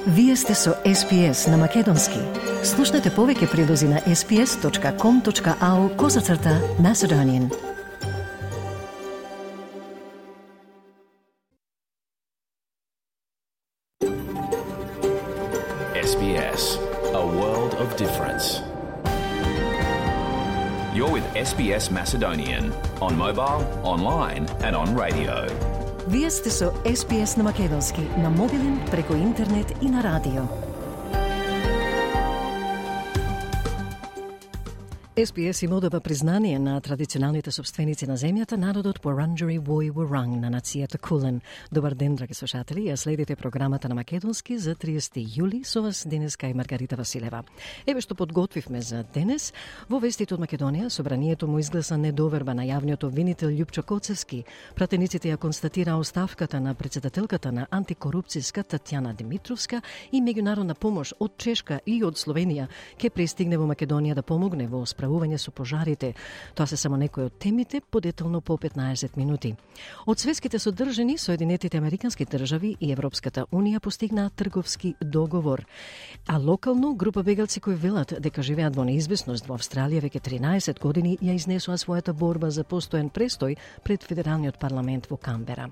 Вие сте со SPS на Македонски. Слушнете повеќе прилози на sps.com.au/Macedonian. SBS, a world of difference. You're with SBS Macedonian on mobile, online and on radio. Вие сте со SPS на Македонски, на мобилен, преку интернет и на радио. SPS им одава признание на традиционалните собственици на земјата, народот Wurundjeri Woi Wurrung на нацијата Кулен. Добар ден, драги слушатели, ја следите програмата на Македонски за 30 јули со вас денеска и Маргарита Василева. Еве што подготвивме за денес. Во вестите од Македонија, собранието му изгласа недоверба на јавниот обвинител Љупчо Коцевски. Пратениците ја констатираа оставката на председателката на антикорупцијска Татјана Димитровска и меѓународна помош од Чешка и од Словенија ќе пристигне во Македонија да помогне во справување со пожарите. Тоа се само некои од темите, подетално по 15 минути. Од светските содржини, Соединетите Американски држави и Европската Унија постигнаа трговски договор. А локално, група бегалци кои велат дека живеат во неизвестност во Австралија веќе 13 години ја изнесоа својата борба за постојан престој пред Федералниот парламент во Камбера.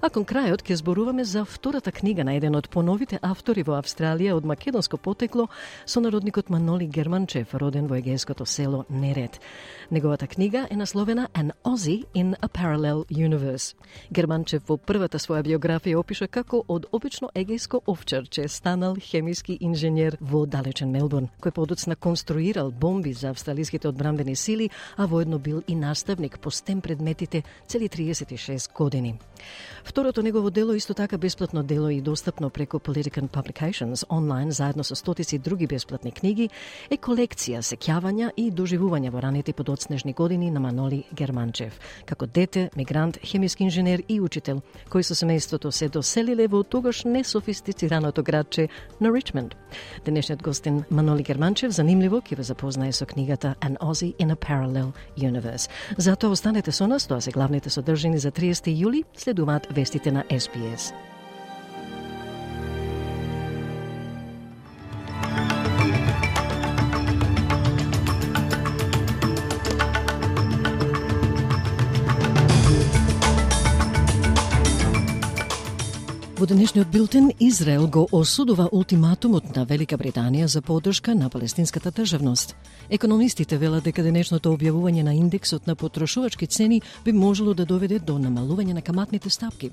А кон крајот ќе зборуваме за втората книга на еден од поновите автори во Австралија од македонско потекло, сонародникот Маноли Германчев, роден во егејското село Нерет. Неговата книга е насловена An Aussie in a Parallel Universe. Германчев во првата своја биографија опиша како од обично егејско овчарче станал хемиски инженер во далечен Мелбурн, кој подоцна конструирал бомби за австралиските одбранбени сили, а воедно бил и наставник по STEM предметите цели 36 години. Второто негово дело, исто така бесплатно дело и достапно преку Politican Publications онлайн, заедно со стотици други бесплатни книги, е колекција сеќавања и доживувања во раните подоцнежни години на Маноли Германчев, како дете, мигрант, хемиски инженер и учител, кој со семејството се доселиле во тогаш несофистицираното градче на Ричмонд. Денешниот гостин Маноли Германчев занимливо ќе ве запознае со книгата An Aussie in a Parallel Universe. Затоа останете со нас, тоа се главните содржини за 30 јули, следуваат вестите на SPS. Во денешниот билтен, Израел го осудува ултиматумот на Велика Британија за поддршка на палестинската државност. Економистите велат дека денешното објавување на индексот на потрошувачки цени би можело да доведе до намалување на каматните стапки.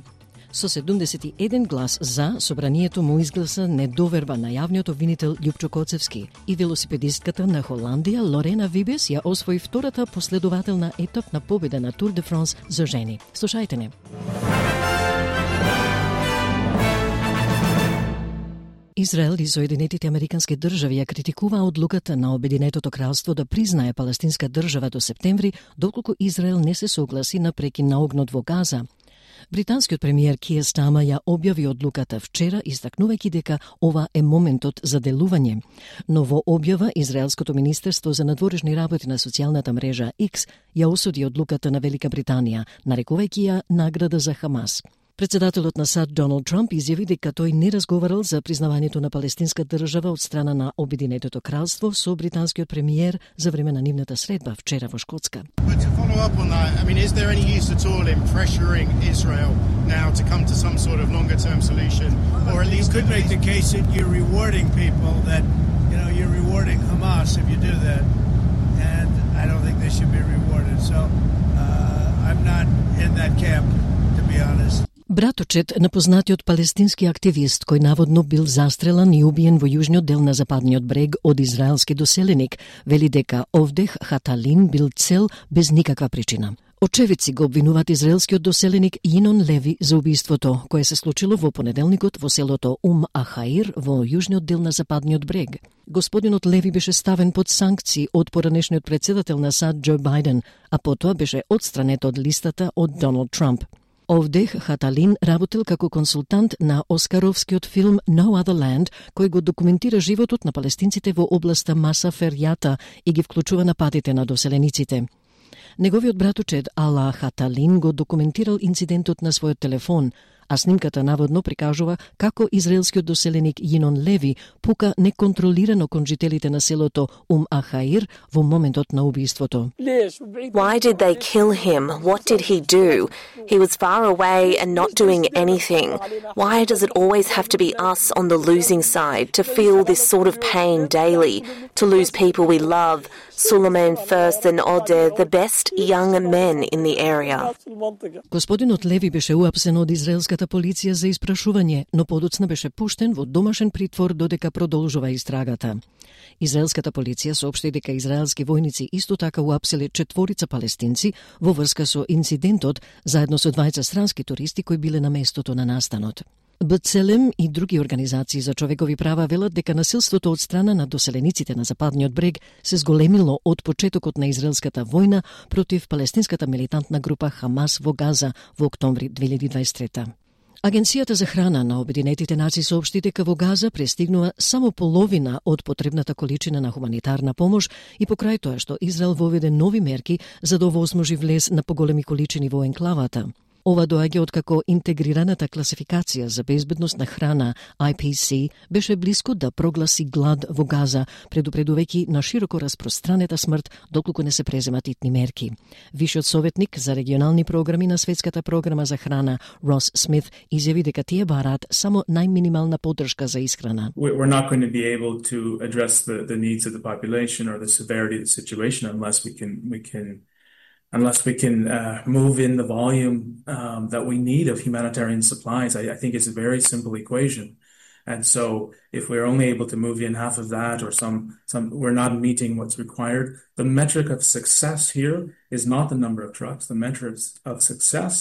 Со 71 глас за, собранието му изгласа недоверба на јавниот обвинител Љупчо Коцевски и велосипедистката на Холандија Лорена Вибес ја освои втората последователна етапна победа на Тур де Франс за жени. Слушајте не. Израел и Соединетите Американски држави ја критикуваа одлуката на Обединетото кралство да признае палестинска држава до септември, доколку Израел не се согласи на прекин на огнот во Газа. Британскиот премиер Киер Стама ја објави одлуката вчера, истакнувајќи дека ова е моментот за делување. Но во објава, Израелското министерство за надворешни работи на социјалната мрежа X ја осуди одлуката на Велика Британија, нарекувајќи ја награда за Хамас. Председателот на САД Доналд Трамп изјави дека тој не разговарал за признавањето на палестинска држава од страна на Обединетото кралство со британскиот премиер за време на нивната средба вчера во Шкотска. Is there any use at all in pressuring Israel now to come to some sort of longer-term solution, or at least you could make the case that you're rewarding people, that you're rewarding Hamas if you do that, and I don't think they should be rewarded. So I'm not in that camp, to be honest. Браточет на познатиот палестински активист кој наводно бил застрелан и убиен во јужниот дел на западниот брег од израелски доселеник, вели дека Овдех Хаталин бил цел без никаква причина. Очевидци го обвинуваат израелскиот доселеник Јинон Леви за убиството, кое се случило во понеделникот во селото Ахаир во јужниот дел на западниот брег. Господинот Леви беше ставен под санкции од поранешниот председател на САД Џо Бајден, а потоа беше отстранет од листата од Доналд Трамп. Овдех Хаталин работел како консултант на оскаровскиот филм No Other Land, кој го документира животот на палестинците во областа Маса Ферјата и ги вклучува нападите на доселениците. Неговиот братучед Ала Хаталин го документирал инцидентот на својот телефон, а снимката наводно прикажува како израелскиот доселеник Јинон Леви пука неконтролирано кон жителите на селото Ахаир во моментот на убиството. Why did they kill him? What did he do? He was far away and not doing anything. Why does it always have to be us on the losing side to feel this sort of pain daily, to lose people we love? Suleiman First and Odeh, the best young men in the area. Господинот Леви беше уапсен од израелската полиција за испрашување, но подоцна беше пуштен во домашен притвор додека продолжува истрагата. Израелската полиција соопшти дека израелски војници исто така уапселе 4 палестинци во врска со инцидентот заедно со 2 странски туристи кои биле на местото на настанот. Бцелем и други организации за човекови права велат дека насилството од страна на доселениците на Западниот брег се зголемило од почетокот на израелската војна против палестинската милитантна група Хамас во Газа во октомври 2023. Агенцијата за храна на Обединетите нации соопшти дека во Газа пристигнува само половина од потребната количина на хуманитарна помош и покрај тоа што Израел воведе нови мерки за да овозможи влез на поголеми количини во енклавата. Ова доаѓа откако интегрираната класификација за безбедност на храна IPC беше блиску да прогласи глад во Газа, предупредувајќи на широко распространета смрт доколку не се преземат итни мерки. Вишиот советник за регионални програми на Светската програма за храна Рос Смит изјави дека тие бараат само најминимална поддршка за исхрана. We're not going to be able to address the needs of the population or the severity of the situation unless we can move in the volume that we need of humanitarian supplies. I think it's a very simple equation. And so if we're only able to move in half of that or some we're not meeting what's required. The metric of success here is not the number of trucks. The metric of success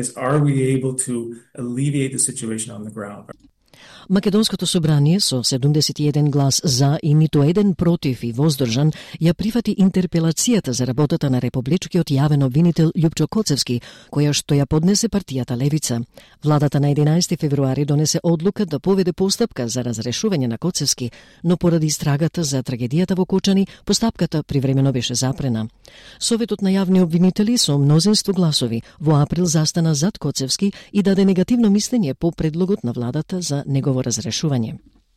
is, are we able to alleviate the situation on the ground? Македонското собрание со 71 глас за и ниту еден против и воздржан ја прифати интерпелацијата за работата на републичкиот јавен обвинител Љупчо Коцевски, која што ја поднесе партијата Левица. Владата на 11 февруари донесе одлука да поведе постапка за разрешување на Коцевски, но поради истрагата за трагедијата во Кочани, постапката привремено беше запрена. Советот на јавни обвинители со мнозинство гласови во април застана зад Коцевски и даде негативно мислење по предлогот на владата за негово разрешување.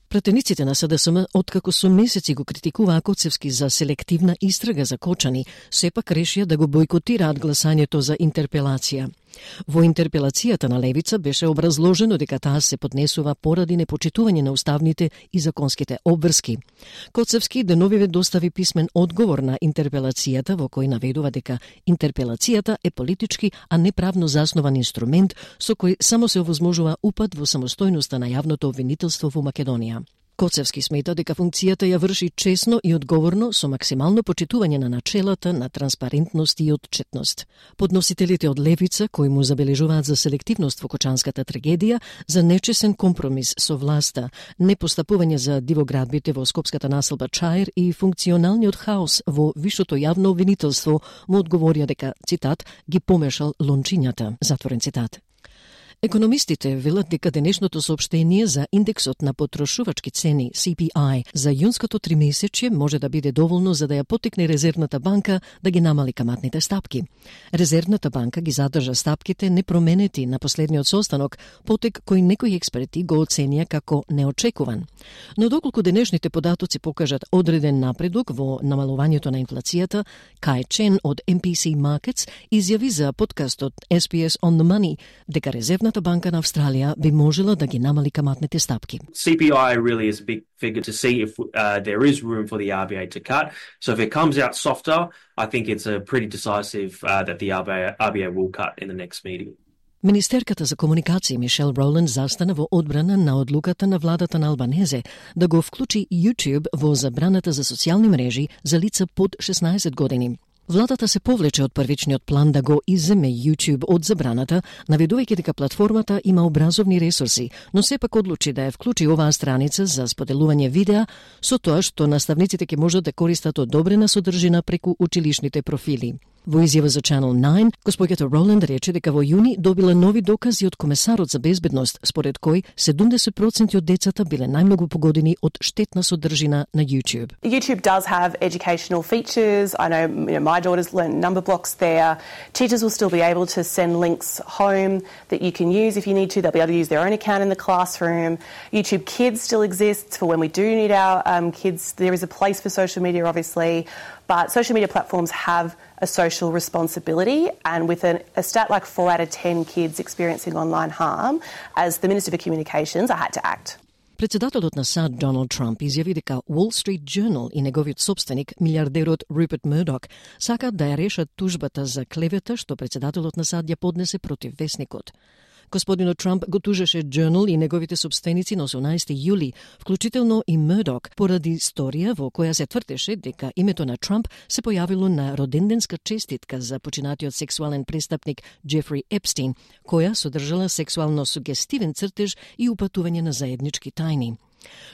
Пратениците на СДСМ, откако со месеци го критикуваа Коцевски за селективна истрага за Кочани, сепак решија да го бойкотираат гласањето за интерпелација. Во интерпелацијата на Левица беше образложено дека таа се поднесува поради непочитување на уставните и законските обврски. Коцевски деновиве достави писмен одговор на интерпелацијата во кој наведува дека интерпелацијата е политички, а не правно заснован инструмент со кој само се овозможува упад во самостојноста на јавното обвинителство во Македонија. Коцевски смета дека функцијата ја врши честно и одговорно со максимално почитување на начелата на транспарентност и отчетност. Подносителите од Левица, кои му забележуваат за селективност во Кочанската трагедија, за нечесен компромис со власта, непостапување за дивоградбите во скопската населба Чаир и функционалниот хаос во вишото јавно обвинителство, му одговорија дека, цитат, ги помешал лончињата, затворен цитат. Економистите велат дека денешното соопштение за индексот на потрошувачки цени CPI за јунското тримесечје може да биде доволно за да ја потекне Резервната банка да ги намали каматните стапки. Резервната банка ги задржа стапките непроменети на последниот состанок, потек кој некои експерти го оценија како неочекуван. Но доколку денешните податоци покажат одреден напредок во намалувањето на инфлацијата, Кај Чен од MPC Markets изјави за подкастот SBS on the Money дека Резервната банка на Австралија би можела да ги намали каматните стапки. CPI really is a big figure to see if there is room for the RBA to cut. So if it comes out softer, I think it's a pretty decisive that the RBA will cut in the next meeting. Министерката за комуникација Мишел Роуленд застана во одбрана на одлуката на владата на Албанезе да го вклучи YouTube во забраната за социјални мрежи за лица под 16 години. Владата се повлече од првичниот план да го изземе YouTube од забраната, наведувајќи дека платформата има образовни ресурси, но сепак одлучи да ја вклучи оваа страница за споделување видеа, со тоа што наставниците ќе можат да користат одобрена содржина преку училишните профили. Во изјава за Channel 9, госпоѓата Роланд рече дека во јуни добила нови докази од комесарот за безбедност, според кој 70% од децата биле најмногу погодени од штетна содржина на YouTube. YouTube does have educational features. I know, my daughter's learned number blocks there. Teachers will still be able to send links home that you can use if you need to. They'll be able to use their own account in the classroom. YouTube Kids still exists for when we do need our kids. There is a place for social media, obviously, but social media platforms have a social responsibility, and with a stat like 4 out of 10 kids experiencing online harm, as the Minister for Communications, I had to act. Председателот на САД Доналд Трамп изјави дека Wall Street Journal и неговиот собственик, милиардерот Руперт Мурдок, сакаат да ја решат тужбата за клевета што председателот на САД ја поднесе против весникот. Господинот Трамп го тужеше Journal и неговите собственици на 18 јули, вклучително и Мурдок, поради историја во која се тврдеше дека името на Трамп се појавило на роденденска честитка за починатиот сексуален престапник Джефри Епстин, која содржала сексуално сугестивен цртеж и упатување на заеднички тајни.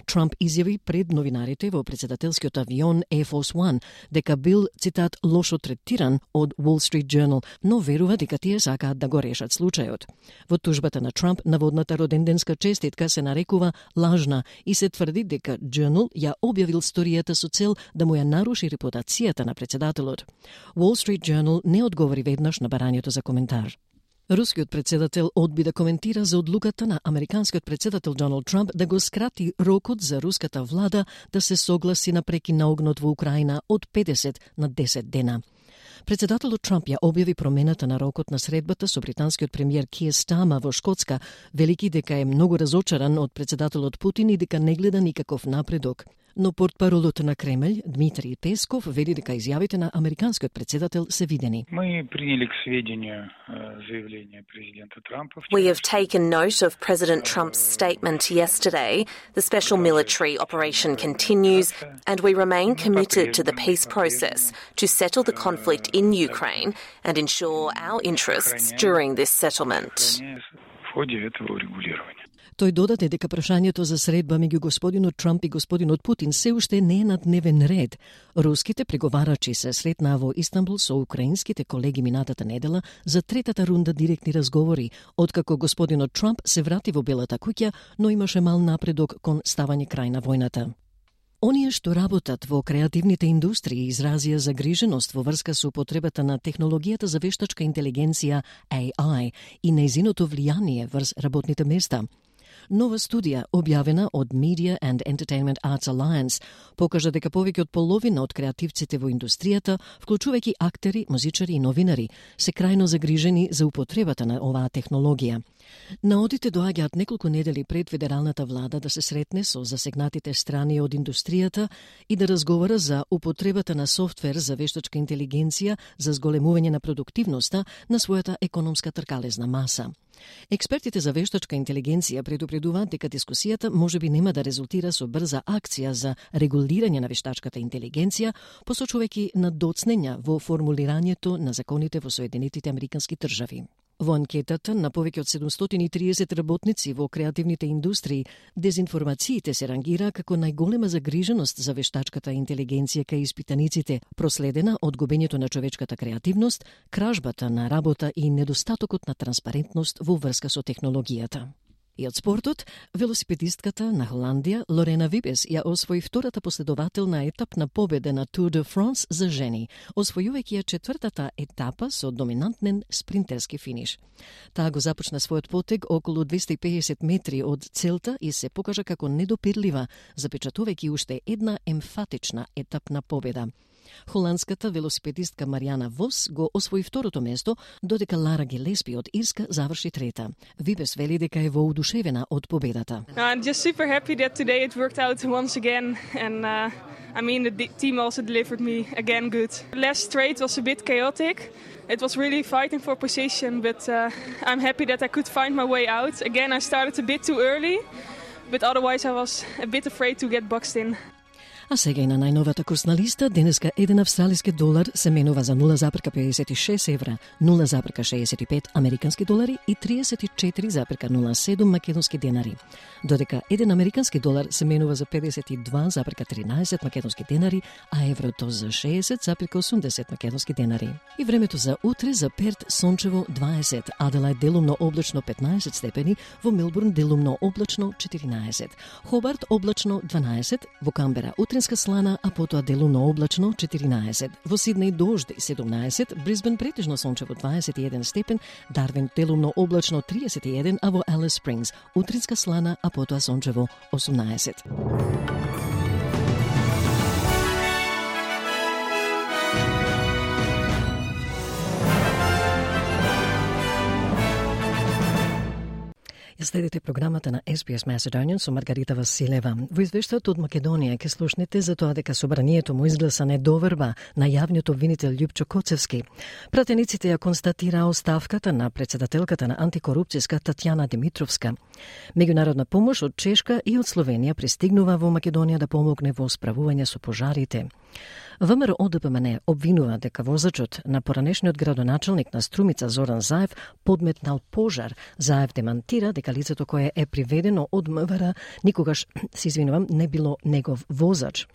Трамп изјави пред новинарите во председателскиот авион Air Force One дека бил, цитат, лошо третиран од Wall Street Journal, но верува дека тие сакаат да го решат случајот. Во тужбата на Трамп, наводната роденденска честитка се нарекува лажна и се тврди дека Journal ја објавил сторијата со цел да му ја наруши репутацијата на председателот. Wall Street Journal не одговори веднаш на барањето за коментар. Рускиот председател одби да коментира за одлуката на американскиот председател Доналд Трамп да го скрати рокот за руската влада да се согласи на прекин на огнот во Украина од 50 на 10 дена. Председателот Трамп ја објави промената на рокот на средбата со британскиот премиер Киер Стама во Шкотска, велики дека е многу разочаран од председателот Путин и дека не гледа никаков напредок. Но портпаролот на Кремљ, Дмитрий Песков, вели дека изјавите на американскиот председател се видени. Мы приняли к сведению заявление президента Трампа. We have taken note of President Trump's statement yesterday. The special military operation continues, and we remain committed to the peace process to settle the conflict in Ukraine and ensure our interests during this settlement. В ходе этого урегулирования. Тој додаде дека прашањето за средба меѓу господинот Трамп и господинот Путин се уште не е на дневен ред. Руските преговарачи се сретнаа во Истанбул со украинските колеги минатата недела за третата рунда директни разговори, откако господинот Трамп се врати во Белата куќа, но имаше мал напредок кон ставање крај на војната. Оние што работат во креативните индустрии изразија загриженост во врска со употребата на технологијата за вештачка интелигенција AI и нејзиното влијание врз работните места. Нова студија, објавена од Media and Entertainment Arts Alliance, покажа дека повеќе од половина од креативците во индустријата, вклучувајќи актери, музичари и новинари, се крајно загрижени за употребата на оваа технологија. Наодите доаѓаат неколку недели пред федералната влада да се сретне со засегнатите страни од индустријата и да разговара за употребата на софтвер за вештачка интелигенција за зголемување на продуктивноста на својата економска тркалезна маса. Експертите за вештачка интелигенција предупредуваат дека дискусијата можеби нема да резултира со брза акција за регулирање на вештачката интелигенција, посочувајќи на доцнења во формулирањето на законите во Соединетите Американски држави. Во анкетата на повеќе од 730 работници во креативните индустрии, дезинформациите се рангира како најголема загриженост за вештачката интелигенција кај испитаниците, проследена од губењето на човечката креативност, кражбата на работа и недостатокот на транспарентност во врска со технологијата. И од спортот, велосипедистката на Холандија Лорена Вибес ја освои втората последователна етапна победа на Tour de France за жени, освојувајќи ја четвртата етапа со доминантен спринтерски финиш. Таа го започна својот потег околу 250 метри од целта и се покажа како недопирлива, запечатувајќи уште една емфатична етапна победа. Холандската велосипедистка Маријана Вос го освои второто место, додека Лара Гелеспи од Ирска заврши трета. Вибес вели дека е воодушевена од победата. I'm just super happy that today it worked out once again, and the team also delivered me again good. Last straight was a bit chaotic. It was really fighting for position, but I'm happy that I could find my way out. Again, I started a bit too early, but otherwise I was a bit afraid to get boxed in. А сега и на најновата курсна листа, денеска 1 австралиски долар се менува за 0,56 евра, 0,65 американски долари и 34,07 македонски денари. Додека 1 американски долар се менува за 52,13 македонски денари, а еврото за 60,80 македонски денари. И времето за утре: за Перт сончево 20, Аделајд делумно облачно 15 степени, во Мелбурн делумно облачно 14, Хобарт облачно 12, во Камбера утринска слана, а потоа делумно облачно 14, во Сиднеј дожд 17, Брисбен претежно сончево 21 степен, Дарвин делумно облачно 31, а во Алис Спрингс утринска слана, а потоа сончево 18. Следите програмата на SBS Macedonian со Маргарита Василева. Во извештајот од Македонија ќе слушнете за тоа дека собранието му изгласа недоверба на јавниот обвинител Љупчо Коцевски. Пратениците ја констатираа оставката на председателката на антикорупцијска Татјана Димитровска. Меѓународна помош од Чешка и од Словенија пристигнува во Македонија да помогне во справување со пожарите. ВМРО-ДПМН обвинува дека возачот на поранешниот градоначалник на Струмица Зоран Заев подметнал пожар. Заев демантира дека лицето кое е приведено од МВР никогаш, не било негов возач.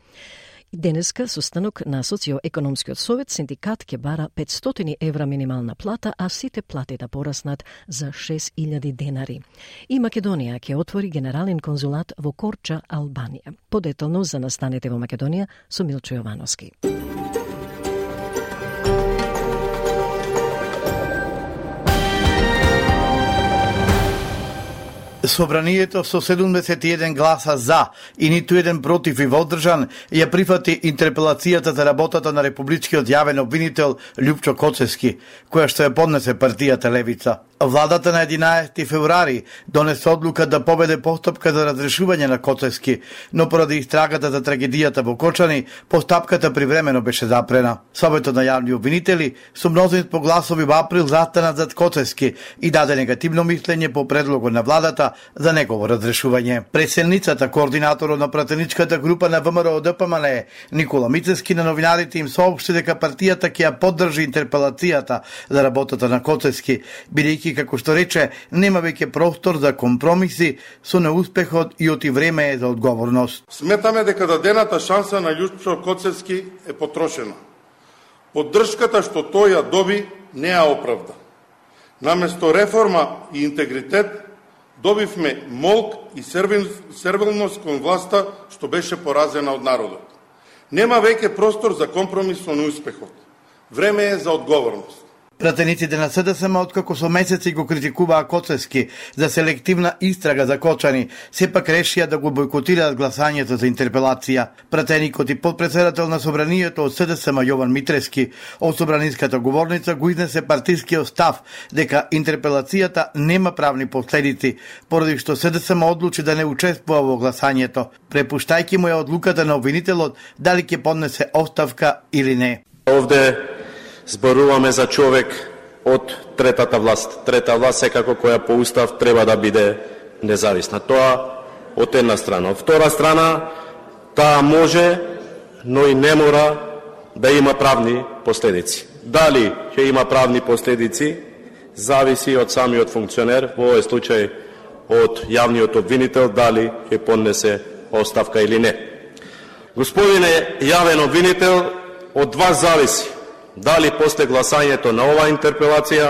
Денеска состанок на Социоекономскиот совет, синдикат ќе бара 500 евра минимална плата, а сите плати да пораснат за 6000 денари. И Македонија ќе отвори генерален конзулат во Корча, Албанија. Подетално за настаните во Македонија со Милчо Јовановски. Собранието со 71 гласа за и ниту еден против и водржан ја прифати интерпелацијата за работата на републичкиот јавен обвинител Љупчо Коцевски, која што ја поднесе партијата Левица. Владата на 11 февруари донесе одлука да поведе постапка за разрешување на Коцевски, но поради истрагата за трагедијата во Кочани, постапката привремено беше запрена. Советот на јавни обвинители со мнозинство гласови во април застана зад Коцевски и даде негативно мислење по предлогот на владата за негово разрешување. Председницата, координаторот на пратеничката група на ВМРО-ДПМН Никола Мицевски на новинарите им соопшти дека партијата ќе ја поддржи интерпелацијата за работата на Коцевски, бидејќи, како што рече, нема веќе простор за компромиси со неуспехот и оти време е за одговорност. Сметаме дека дадената шанса на Љупчо Коцевски е потрошена. Поддршката што тој ја доби не ја оправда. Наместо реформа и интегритет добивме молк и сервилност кон власта што беше поразена од народот. Нема веќе простор за компромис со неуспехот. Време е за одговорност. Пратениците на СДСМ, откако со месеци го критикуваа Коцевски за селективна истрага за Кочани, сепак решија да го бойкотираат гласањето за интерпелација. Пратеникот и подпредседател на собранието од СДСМ Јован Митревски од собраниската говорница го изнесе партискиот став дека интерпелацијата нема правни последици, поради што СДСМ одлучи да не учествува во гласањето, препуштајќи му ја одлуката на обвинителот дали ќе поднесе оставка или не. Овде зборуваме за човек од третата власт. Трета власт секако која по устав треба да биде независна. Тоа од една страна. Од втора страна, таа може, но и не мора да има правни последици. Дали ќе има правни последици, зависи од самиот функционер, во овој случај од јавниот обвинител, дали ќе поднесе оставка или не. Господине јавен обвинител, од вас зависи дали после гласањето на оваа интерпелација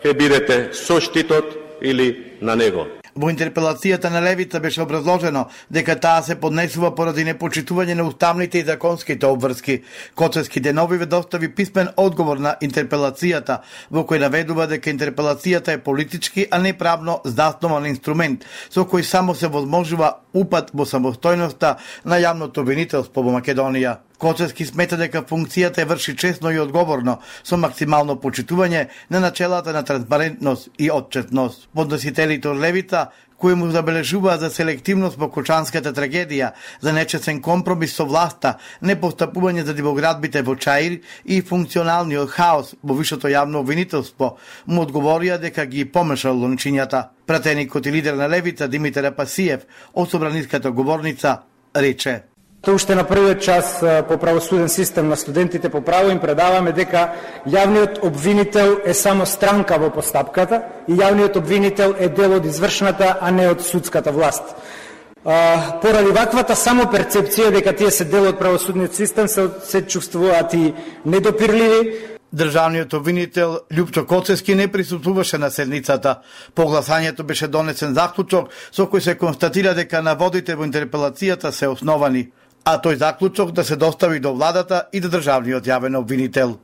ќе бидете со штитот или на него. Во интерпелацијата на Левица беше образложено дека таа се поднесува поради непочитување на уставните и законските обврски. Коцевски деновиве достави писмен одговор на интерпелацијата, во кој наведува дека интерпелацијата е политички, а не правно заснован инструмент, со кој само се возможува упад во самостојноста на јавното обвинителство во Македонија. Коцевски смета дека функцијата е врши честно и одговорно, со максимално почитување на начелата на транспарентност и отчетност. Подносителите од Левица, кои му забележуваат за селективност во Кочанската трагедија, за нечесен компромис со власта, непостапување за дивоградбите во Чаир и функционалниот хаос во висшето јавно обвинителство, му одговорија дека ги помешал лончињата. Пратеникот и лидер на Левица Димитар Апасиев од собраниската говорница рече: Тоа уште на првиот час по правосуден систем на студентите по право им предаваме дека јавниот обвинител е само странка во постапката и јавниот обвинител е дел од извршната, а не од судската власт. Поради ваквата само перцепција дека тие се дел од правосудниот систем се чувствуваат и недопирливи. Државниот обвинител Љупчо Коцевски не присуствуваше на седницата. По гласањето беше донесен заклучок со кој се констатира дека наводите во интерпелацијата се основани, а тој заклучок да се достави до владата и до државниот јавен обвинител.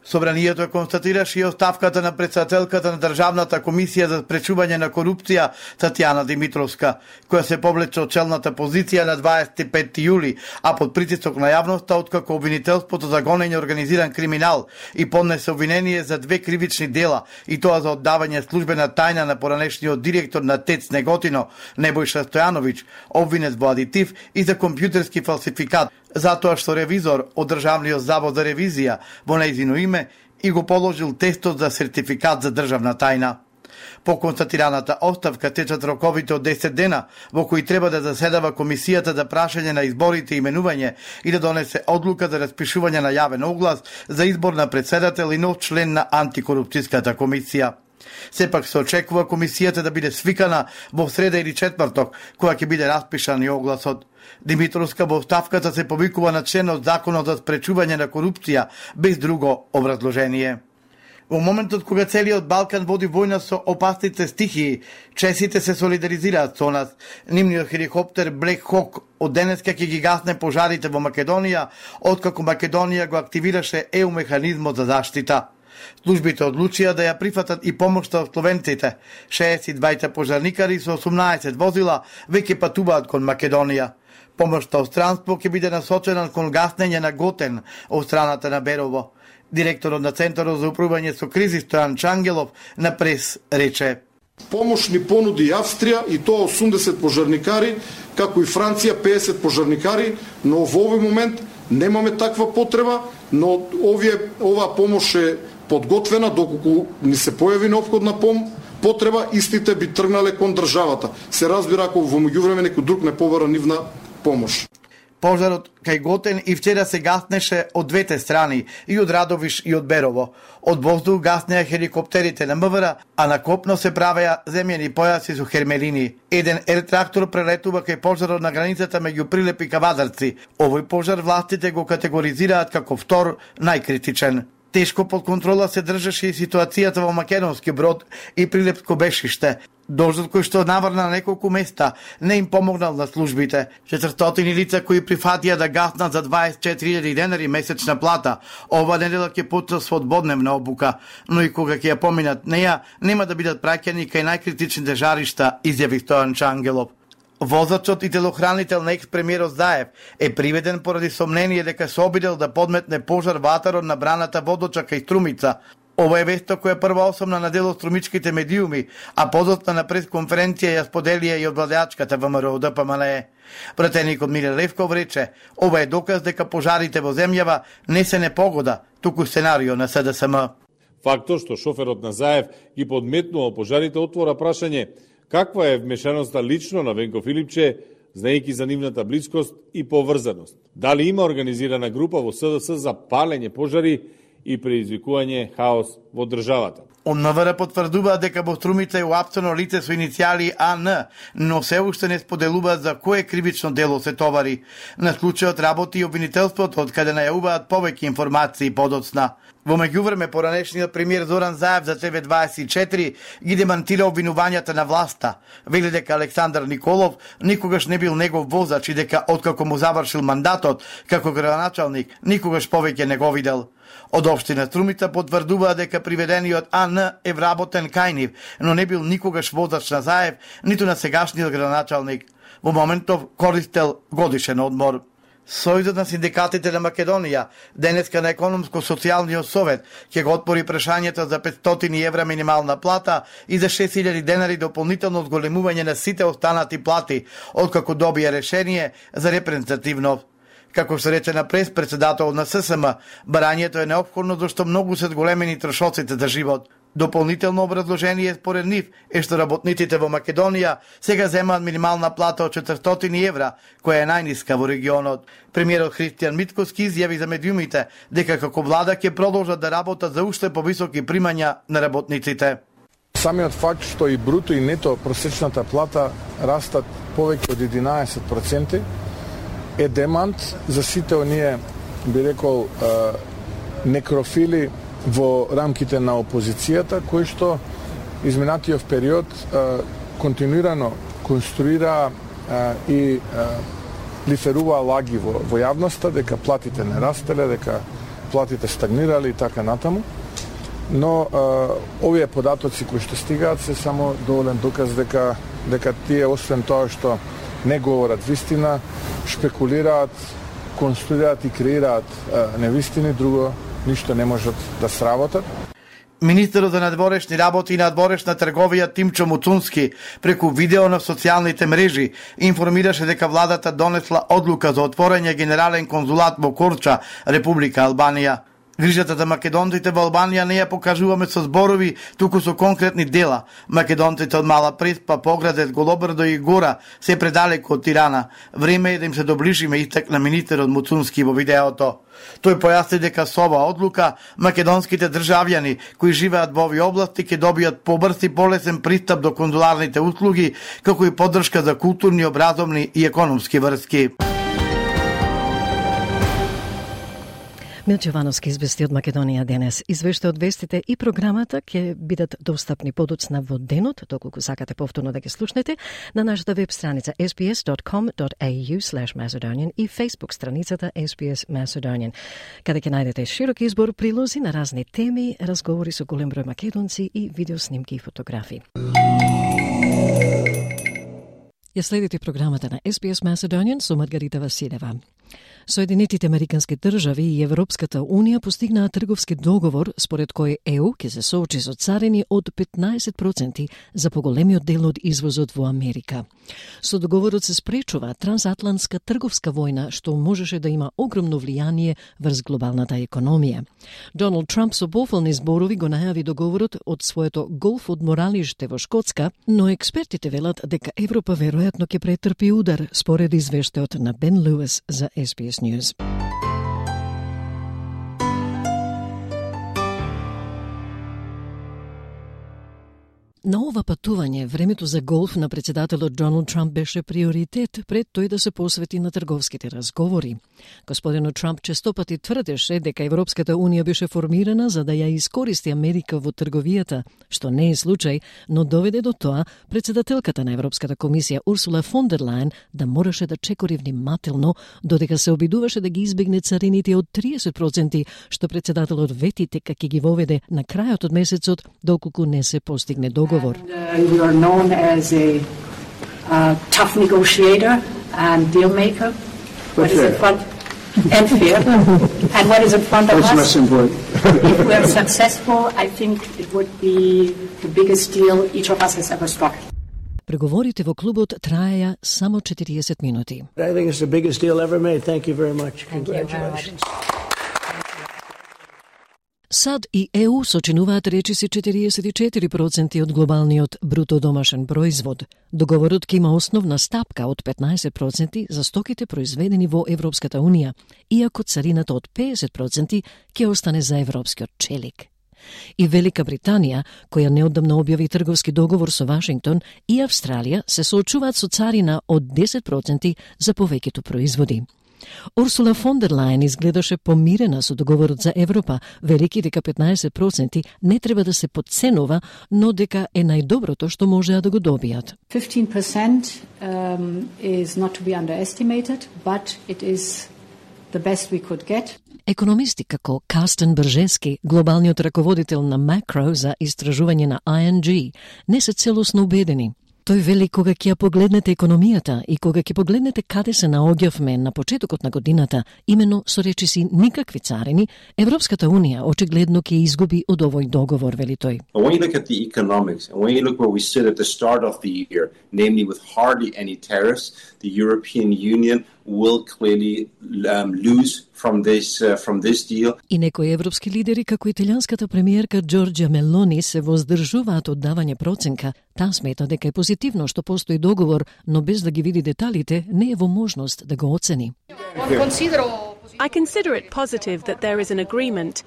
Собранието констатираше и оставката на председателката на Државната комисија за спречување на корупција Татјана Димитровска, која се повлече од челната позиција на 25 јули, а под притисок на јавноста откако обвинителството за гонење организиран криминал и поднесе обвинение за 2 кривични дела, и тоа за оддавање службена тајна на поранешниот директор на ТЕЦ Неготино, Небојша Стојановиќ, обвинет во адитив, и за компјутерски фалсификат, затоа што ревизор од Државниот завод за ревизија во нејзино име и го положил тестот за сертификат за државна тајна. По констатираната оставка течат роковите од 10 дена во кои треба да заседава комисијата за прашање на изборите и именување и да донесе одлука за распишување на јавен оглас за избор на председател и нов член на антикорупцијската комисија. Сепак се очекува комисијата да биде свикана во среда или четврток, кога ќе биде распишан и огласот. Димитровска во оставката се повикува на член од Законот за спречување на корупција без друго образложение. Во моментот кога целиот Балкан води војна со опасните стихии, чесите се солидаризираат со нас. Нивниот хеликоптер Black Hawk од денеска ќе ги гасне пожарите во Македонија, откако Македонија го активираше ЕУ механизмот за заштита. Службите одлучија да ја прифатат и помошта од словенците. 62 пожарникари со 18 возила веќе патуваат кон Македонија. Помошта од странство ќе биде насочена кон гаснење на Готен од страната на Берово. Директорот на Центарот за управување со кризи Стојан Чангелов на прес рече: Помош ни понуди Австрија и тоа 80 пожарникари, како и Франција 50 пожарникари, но во овој момент немаме таква потреба, но оваа помош е подготвена доколку ни се појави неопходна потреба, истите би тргнале кон државата. Се разбира ако во меѓувреме некој друг не побара нивна помош. Пожарот кај Готен и вчера се гаснеше од двете страни, и од Радовиш и од Берово. Од воздух гаснеа хеликоптерите на МВР, а на копно се правеа земјени појаси со хермелини. Еден ер-трактор прелетува кај пожарот на границата меѓу Прилеп и Кавадарци. Овој пожар властите го категоризираат како втор најкритичен. Тешко под контрола се држеше и ситуацијата во Македонски Брод и Прилепско Бешиште. Дождот кој што наврна на неколку места не им помогнал на службите. 400 лица кои прифатија да гаснат за 24.000 денари месечна плата, ова недела ќе почнат со одбодневна обука, но и кога ќе ја поминат неја, нема да бидат праќани кај најкритичните жаришта, изјави Стојан Чангелов. Возачот и телохранител на екс-премиерот Заев е приведен поради сомнение дека се обидел да подметне пожар во атарот на браната Водочака и Струмица. Ова е веста која прва осомна на дел од струмичките медиуми, а подоцна на пресконференција ја споделија и од владеачката ВМРО ДПМНЕ. Пратеникот Миле Левков рече: ова е доказ дека пожарите во земјава не се непогода, туку сценарио на СДСМ. Фактот што шоферот на Заев ги подметнува пожарите отвора прашање каква е вмешаноста лично на Венко Филипче, знаејќи за нивната блискост и поврзаност. Дали има организирана група во СДС за палење пожари и предизвикување хаос во државата. Од МВР потврдува дека во Струмица е уапсено лице со иницијали АН, но се уште не споделуваат за кое кривично дело се товари. На случајот работи и обвинителството, од каде најавуваат повеќе информации подоцна. Во меѓувреме, поранешниот премиер Зоран Заев за ТВ24 ги демантира обвинувањата на власта. Вели дека Александар Николов никогаш не бил негов возач и дека откако му завршил мандатот како градоначалник, никогаш повеќе не го видел. Од општина Струмица потврдува дека приведениот АН е вработен кај нив, но не бил никогаш возач на Заев, ниту на сегашниот градоначалник. Во моментов користел годишен одмор. Сојузот на синдикатите на Македонија денеска на економско-социјалниот совет ќе го отпори прашањето за 500 евра минимална плата и за 6000 денари дополнително зголемување на сите останати плати, откако добија решение за репрезентативно. Како се рече на председател на ССМ, барањето е неопходно зашто многу се зголемени трошоците за живот. Дополнително образложение според нив е што работниците во Македонија сега земаат минимална плата од 400 евра, која е најниска во регионот. Премиерот Христијан Мицкоски изјави за медиумите дека како влада ќе продолжат да работат за уште повисоки примања на работниците. Самиот факт што и бруто и нето просечната плата растат повеќе од 11% е демант за сите оние, би рекол, некрофили во рамките на опозицијата, кои што изминатиот период континуирано конструира и лиферува лаги во јавноста, дека платите не растеле, дека платите стагнирали и така натаму. Но овие податоци кои што стигаат се само доволен доказ дека тие, освен тоа што не говорат вистина, шпекулираат, конструираат и креираат невистини, друго ништо не можат да сработат. Министерот за надворешни работи и надворешна трговија Тимчо Муцунски преку видео на социјалните мрежи информираше дека владата донесла одлука за отворање генерален конзулат во Корча, Република Албанија. Грижата за македонците во Албанија не ја покажуваме со зборови, туку со конкретни дела. Македонците од Мала Преспа, Поградец, Голобрдо и Гора се предалеку од Тирана. Време е да им се доближиме, истакна министерот Муцунски во видеото. Тој појасни дека со оваа одлука македонските државјани кои живеат во овие области ќе добијат побрз и полесен пристап до конзуларните услуги, како и поддршка за културни, образовни и економски врски. Милче Вановски извести од Македонија денес. Извешта од вестите и програмата ќе бидат достапни подоцна во денот, доколку сакате повторно да ги слушнете, на нашата веб страница sbs.com.au/Macedonian и Facebook страницата SBS Macedonian, каде ќе најдете широк избор прилози на разни теми, разговори со голем број македонци и видеоснимки и фотографии. Ја следите програмата на SBS Macedonian со Маргарита Василева. Соединетите Американски држави и Европската Унија постигнаа трговски договор според кој ЕУ ќе се соочи со царини од 15% за поголемиот дел од извозот во Америка. Со договорот се спречува трансатлантска трговска војна што можеше да има огромно влијание врз глобалната економија. Доналд Трамп со пофолни зборови го најави договорот од своето голф одморалиште во Шкотска, но експертите велат дека Европа веројатно ќе претрпи удар, според извештајот на Бен Луис за SBS News. На ова патување, времето за голф на председателот Доналд Трамп беше приоритет пред тој да се посвети на трговските разговори. Господинот Трамп честопати тврдеше дека Европската Унија беше формирана за да ја искористи Америка во трговијата, што не е случај, но доведе до тоа председателката на Европската комисија Урсула фон дер Лајен да мораше да чекори внимателно, додека се обидуваше да ги избегне царините од 30%, што председателот вети дека ќе ги воведе на крајот од месецот, доколку не се постигне договор. And, you are known as a tough negotiator and deal maker. What is in front and fair. And what is in front of us? That's less important. If we are successful, I think it would be the biggest deal each of us has ever struck. Преговорите во клубот траеја само 40 минути. I think it's the biggest deal ever made. Thank you very much. Congratulations. САД и ЕУ сочинуваат речиси 44% од глобалниот бруто домашен производ. Договорот ќе има основна стапка од 15% за стоките произведени во Европската Унија, иако царината од 50% ќе остане за европскиот челик. И Велика Британија, која неодамна објави трговски договор со Вашингтон, и Австралија се соочуваат со царина од 10% за повеќето производи. Урсула фон дер Лајен изгледаше помирена со договорот за Европа, велики дека 15% не треба да се подценува, но дека е најдоброто што можеа да го добијат. 15% is not to be underestimated, but it is the best we could get. Економисти како Карстен Бржески, глобалниот раководител на Macro за истражување на ING, не се целосно убедени. Тој вели кога ќе ја погледнете економијата и кога ќе погледнете каде се наоѓавме на почетокот на годината, имено со речиси никакви царини, Европската Унија очигледно ќе изгуби од овој договор, вели тој. When you look at the economics and when you look where we sit at the start of the year, namely with hardly any tariffs, the European Union will clearly lose from this deal. И некои европски лидери, како италијанската премиерка Джорџа Мелони, се воздржуваат од давање проценка. Таа смета дека е позитивно што постои договор, но без да ги види деталите, не е во можност да го оцени. I consider it positive that there is an agreement,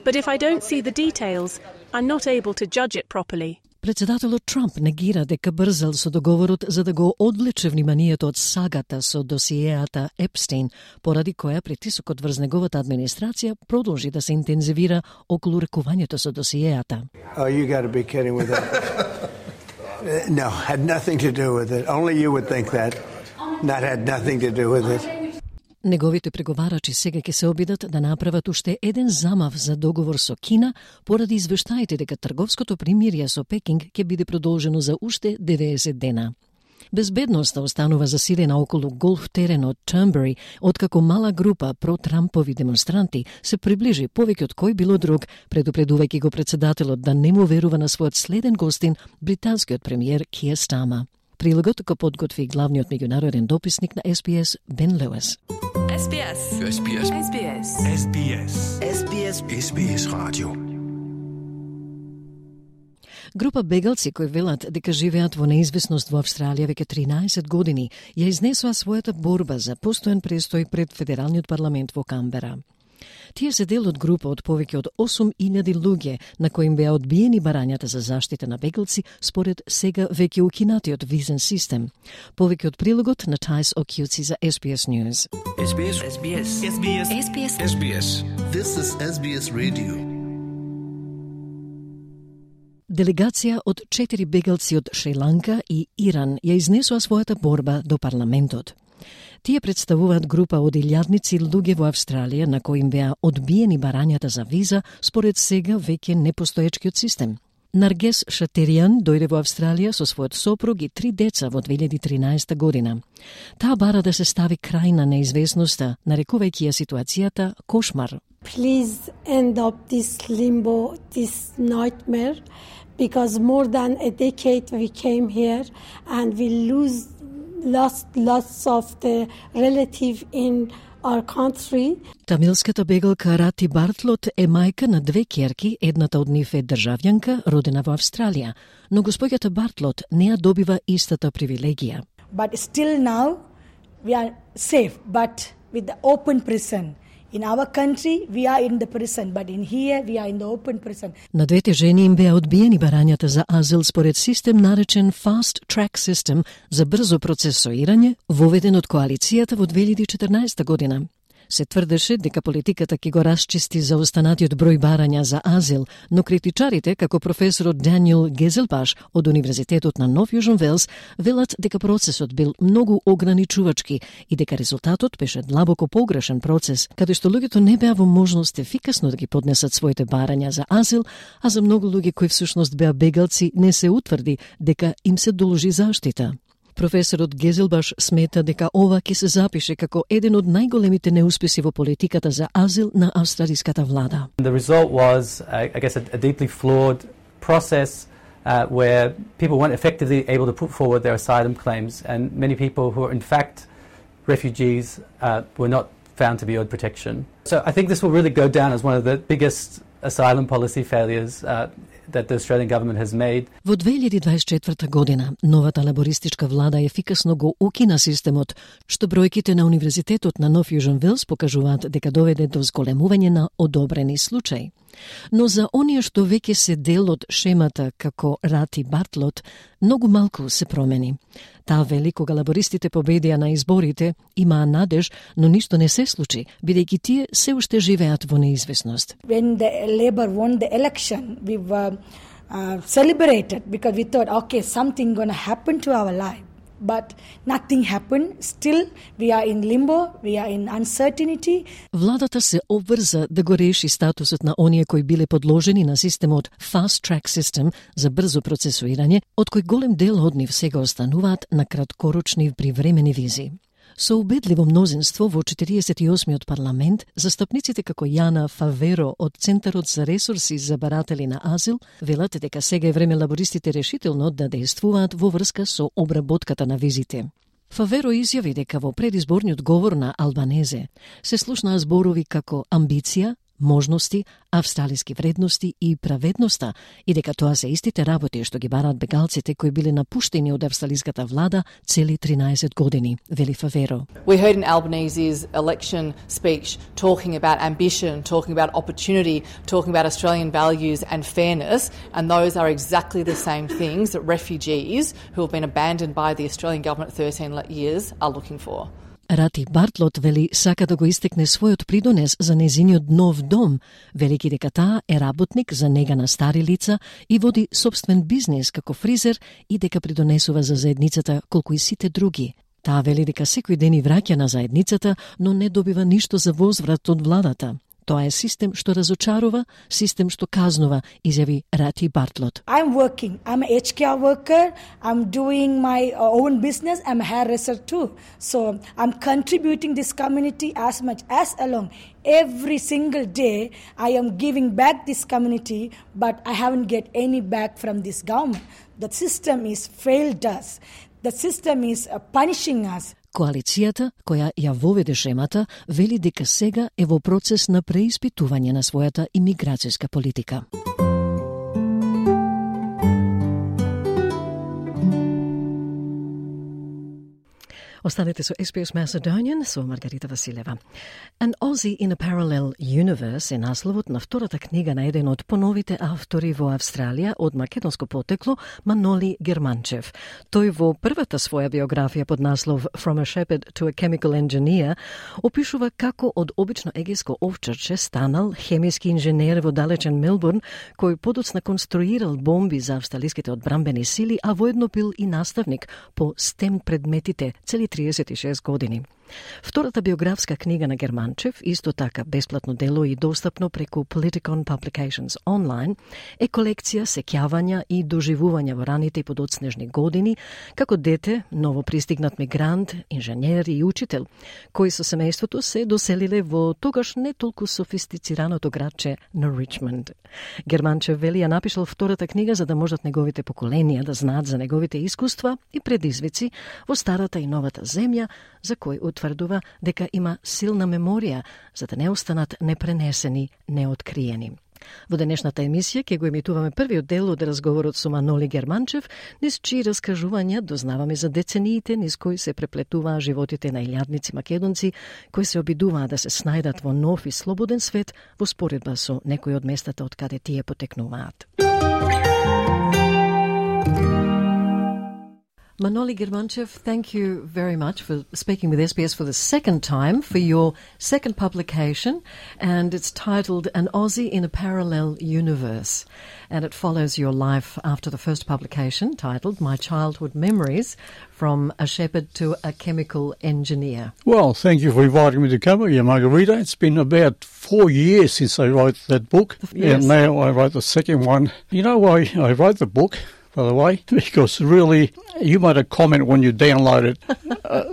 but if I don't see the details, I'm not able to judge it properly. Председателот Трамп негира дека брзал со договорот за да го одвлече вниманието од сагата со досиеата Епстейн, поради која притисокот врз неговата администрација продолжи да се интензивира околу рекувањето со досиеата. Oh, you got to be kidding with that. No, had nothing to do with it. Only you would think that. That had nothing to do with it. Неговите преговарачи сега ќе се обидат да направат уште еден замав за договор со Кина поради извештаите дека трговското примирие со Пекинг ќе биде продолжено за уште 90 дена. Безбедноста останува засилена околу голф теренот Тurnberry, откако мала група про-Трампови демонстранти се приближи повеќе од кој било друг, предупредувајќи го председателот да не му верува на својот следен гостин, британскиот премиер Киер Стама. Прилогот го подготви главниот меѓународен дописник на SBS Бен Луис. SBS. SBS. SBS. SBS. SBS. SBS Radio. Група бегалци кои велат дека живеат во неизвестност во Австралија веќе 13 години ја изнесоа својата борба за постојан престој пред Федералниот парламент во Камбера. Тие се дел од група од повеќе од 8.000 луѓе на кои им беа одбиени барањата за заштита на бегалци според сега веќе укинатиот визен систем. Повеќе од прилогот на Тајс Окјуци за SBS News. SBS. SBS. SBS. SBS. SBS. This is SBS Radio. Делегација од 4 бегалци од Шри-Ланка и Иран ја изнесоа својата борба до парламентот. Тие представуваат група од илјадници луѓе во Австралија на кои им беа одбиени барањата за виза според сега веќе непостоечкиот систем. Наргес Шатеријан дојде во Австралија со својот сопруг и 3 деца во 2013 година. Таа бара да се стави крај на неизвестноста, нарекувајќи ја ситуацијата кошмар. Please end up this limbo, this nightmare, because more than a decade we came here and we lost lots of the relative in our country. Тамилската бегалка Рати Бартлот е мајка на 2 ќерки, едната од нив е државјанка, родена во Австралија, но госпоѓата Бартлот не ја добива истата привилегија. But still now we are safe, but with the open prison. In our country, we are in the prison, but in here, we are in the open prison. На двете жени им беа одбиени барањата за азил според систем наречен Fast Track System за брзо процесуирање, воведен од коалицијата во 2014 година. Се тврдеше дека политиката ќе го расчисти за останатиот број барања за азил, но критичарите, како професорот Даниел Гезелбаш од Универзитетот на Нов Јужен Велс, велат дека процесот бил многу ограничувачки и дека резултатот беше длабоко погрешен процес, каде што луѓето не беа во можност ефикасно да ги поднесат своите барања за азил, а за многу луѓе кои всушност беа бегалци не се утврди дека им се должи заштита. Професорот Гезелбаш смета дека ова ќе се запише како еден од најголемите неуспеси во политиката за азил на австралиската влада. The result was, I guess, a deeply flawed process where people weren't effectively able to put forward their asylum claims, and many people who are in fact refugees were not found to be owed protection. So I think this will really go down as one of the biggest asylum policy failures that the Australian government has made. Во 2024 година, новата лабористичка влада ефикасно го укина системот, што бројките на Универзитетот на Нов Јужен Велс покажуваат дека доведе до зголемување на одобрени случаи. Но за оние што веќе се дел од шемата како Рати Бартлот, многу малку се промени. Таа вели кога лабористите победија на изборите, имаа надеж, но ништо не се случи, бидејќи тие се уште живеат во неизвестност. When the Labor won the election, we were celebrated because we thought, okay, something going to happen to our life. But nothing happened. Still, we are in limbo, we are in uncertainty. Владата се обврза да го реши статусот на оние кои биле подложени на системот Fast Track System за брзо процесуирање, од кој голем дел од нив сега остануваат на краткорочни привремени визи. Со убедливо мнозинство во 48-миот парламент, застапниците како Јана Фаверо од Центарот за ресурси за баратели на азил велат дека сега е време лабористите решително да действуваат во врска со обработката на визите. Фаверо изјави дека во предизборниот говор на Албанезе се слушнаа зборови како амбиција, можности, австралиски вредности и праведноста, и дека тоа се истите работи што ги бараат бегалците кои биле напуштени од австралиската влада цели 13 години, вели Фаверо. We heard in Albanese's election speech talking about ambition, talking about opportunity, talking about Australian values and fairness, and those are exactly the same things that refugees who have been abandoned by the Australian government 13 years are looking for. Рати Бартлот вели сака да го истекне својот придонес за незиниот нов дом, велики дека таа е работник за нега на стари лица и води собствен бизнес како фризер и дека придонесува за заедницата колку и сите други. Таа вели дека секој ден и враќа на заедницата, но не добива ништо за возврат од владата. Тоа е систем што разочарува, систем што казнува, изјави Рати Бартлот. I'm working. I'm a HKR worker. I'm doing my own business. I'm a hairdresser too. So I'm contributing this community as much as along. Every single day I am giving back this community, but I haven't get any back from this government. The system is failed us. The system is punishing us. Коалицијата, која ја воведе шемата, вели дека сега е во процес на преиспитување на својата имиграцијска политика. Останете со SBS Macedonian со Маргарита Василева. An Aussie in a Parallel Universe е насловот на втората книга на еден од поновите автори во Австралија од македонско потекло, Маноли Германчев. Тој во првата своја биографија под наслов From a Shepherd to a Chemical Engineer опишува како од обично егеско овчарче станал хемиски инженер во далечен Мелбурн, кој подоцна конструирал бомби за австралиските одбрамбени сили, а воедно бил и наставник по STEM предметите цели 36 години. Втората биографска книга на Германчев, исто така бесплатно дело и достапно преку Politicon Publications онлайн, е колекција сеќавања и доживувања во раните и подоцнежни години, како дете, ново пристигнат мигрант, инженер и учител, кои со семејството се доселиле во тогаш не толку софистицираното градче на Ричмонд. Германчев вели ја напишал втората книга за да можат неговите поколенија да знаат за неговите искуства и предизвици во старата и новата земја, за кој утврдува дека има силна меморија, за да не останат непренесени, неоткриени. Во денешната емисија ќе го емитуваме првиот дел од разговорот со Маноли Германчев, низ чии раскажувања дознаваме за децениите низ кои се преплетуваа животите на илјадници македонци, кои се обидуваа да се снајдат во нов и слободен свет во споредба со некои од местата од каде тие потекнуваат. Manoli Germanchev, thank you very much for speaking with SBS for the second time for your second publication, and it's titled An Aussie in a Parallel Universe, and it follows your life after the first publication titled My Childhood Memories, From a Shepherd to a Chemical Engineer. Well, thank you for inviting me to come here, Margarita. It's been about 4 years since I wrote that book, Yes. and now I wrote the second one. You know why I wrote the book? By the way, because really, you made a comment when you downloaded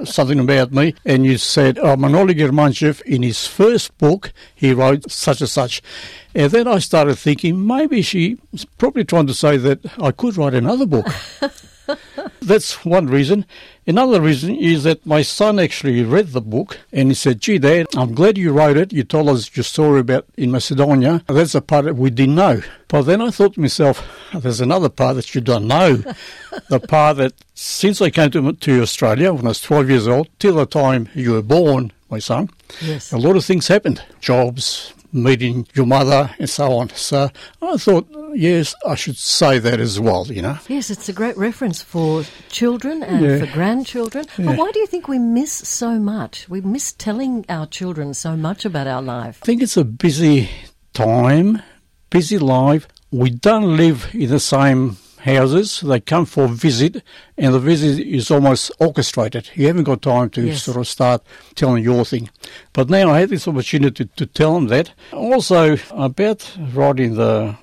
something about me, and you said, Manoli Germanchev, in his first book, he wrote such and such. And then I started thinking, maybe she's probably trying to say that I could write another book. That's one reason. Another reason is that my son actually read the book and he said, gee, Dad, I'm glad you wrote it. You told us your story about in Macedonia. That's a part that we didn't know. But then I thought to myself, there's another part that you don't know. The part that since I came to Australia when I was 12 years old, till the time you were born, my son, Yes. a lot of things happened. Jobs, meeting your mother and so on. So I thought, yes, I should say that as well, you know. Yes, it's a great reference for children and for grandchildren. But why do you think we miss so much? We miss telling our children so much about our life. I think it's a busy time, busy life. We don't live in the same houses. They come for a visit, and the visit is almost orchestrated. You haven't got time to sort of start telling your thing. But now I had this opportunity to tell them that. Also, about writing the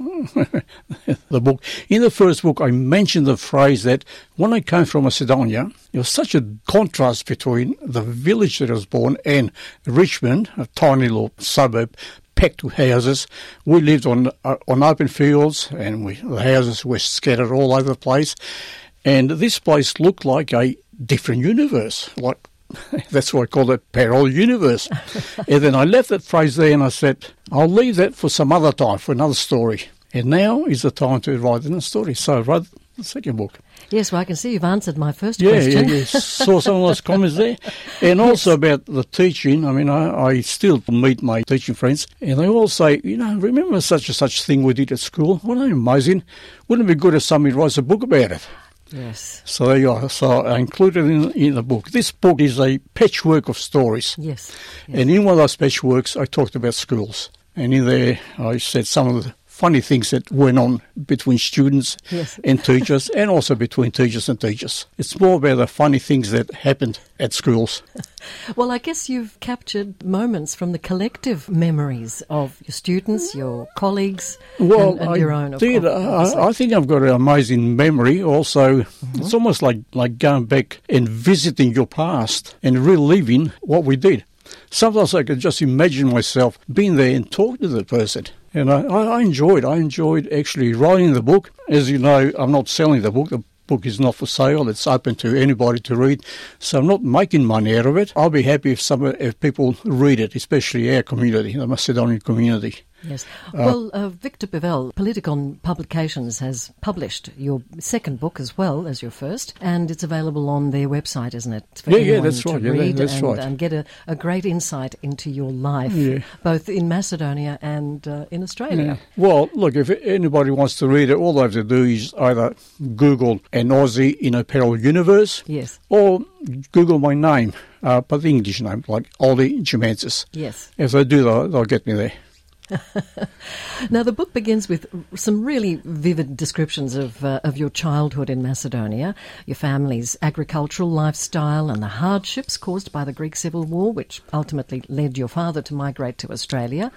the book. In the first book, I mentioned the phrase that when I came from Macedonia, there was such a contrast between the village that I was born and Richmond, a tiny little suburb, packed with houses. We lived on open fields, and the houses were scattered all over the place. And this place looked like a different universe. Like, that's why I call it parallel universe. And then I left that phrase there and I said, I'll leave that for some other time, for another story. And now is the time to write another story. So I wrote the second book. Yes, well, I can see you've answered my first question. Yeah, saw some of those comments there. And also about the teaching. I mean, I still meet my teaching friends, and they all say, remember such and such thing we did at school? Wasn't it amazing? Wouldn't it be good if somebody writes a book about it? Yes. So there you are. So I included in the book. This book is a patchwork of stories. Yes. And in one of those patchworks, I talked about schools. And in there, I said some of the funny things that went on between students and teachers, and also between teachers and teachers. It's more about the funny things that happened at schools. Well, I guess you've captured moments from the collective memories of your students, your colleagues, and your own. I think I've got an amazing memory. Also, it's almost like going back and visiting your past and reliving what we did. Sometimes I could just imagine myself being there and talking to the person. And I enjoyed actually writing the book. As you know, I'm not selling the book. The book is not for sale. It's open to anybody to read. So I'm not making money out of it. I'll be happy if people read it, especially our community, the Macedonian community. Yes. Well, Victor Bevel, Politicon Publications, has published your second book as well as your first, and it's available on their website, isn't it? For that's right. That's right. And get a great insight into your life, both in Macedonia and in Australia. Yeah. Well, look, if anybody wants to read it, all they have to do is either Google an Aussie in a parallel universe, or Google my name, but the English name, like Ollie Germantzis. Yes. If they do, they'll get me there. Now, the book begins with some really vivid descriptions of your childhood in Macedonia, your family's agricultural lifestyle and the hardships caused by the Greek Civil War, which ultimately led your father to migrate to Australia.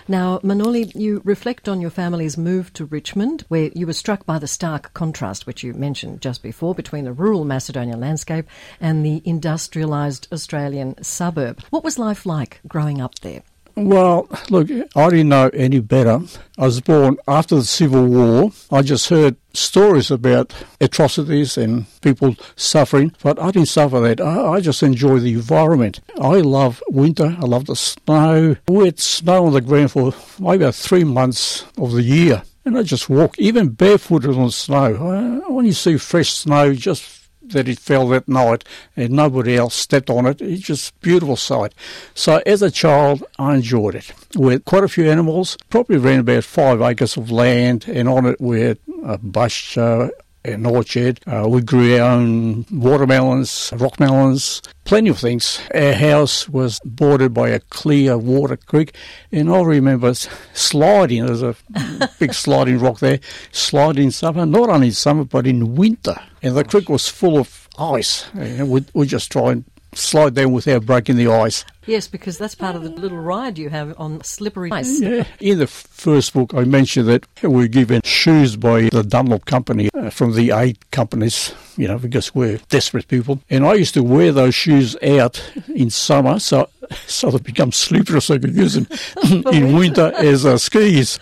Now, Manoli, you reflect on your family's move to Richmond, where you were struck by the stark contrast, which you mentioned just before, between the rural Macedonian landscape and the industrialised Australian suburb. What was life like growing up there? Well, look, I didn't know any better. I was born after the Civil War. I just heard stories about atrocities and people suffering, but I didn't suffer that. I just enjoy the environment. I love winter. I love the snow. We had snow on the ground for maybe 3 months of the year, and I just walk, even barefooted on snow. When you see fresh snow, just that it fell that night and nobody else stepped on it. It's just a beautiful sight. So as a child, I enjoyed it. We had quite a few animals, probably around about 5 acres of land, and on it we had a bush, an orchard. We grew our own watermelons, rock melons, plenty of things. Our house was bordered by a clear water creek, and I remember sliding. There's a big sliding rock there, sliding in summer, not only in summer but in winter. And the creek was full of ice, and we'd just try and slide down without breaking the ice. Yes, because that's part of the little ride you have on slippery ice. Yeah. In the first book, I mentioned that we were given shoes by the Dunlop company from the aid companies, because we're desperate people. And I used to wear those shoes out in summer, so they become slippery, so I could use them in winter as skis.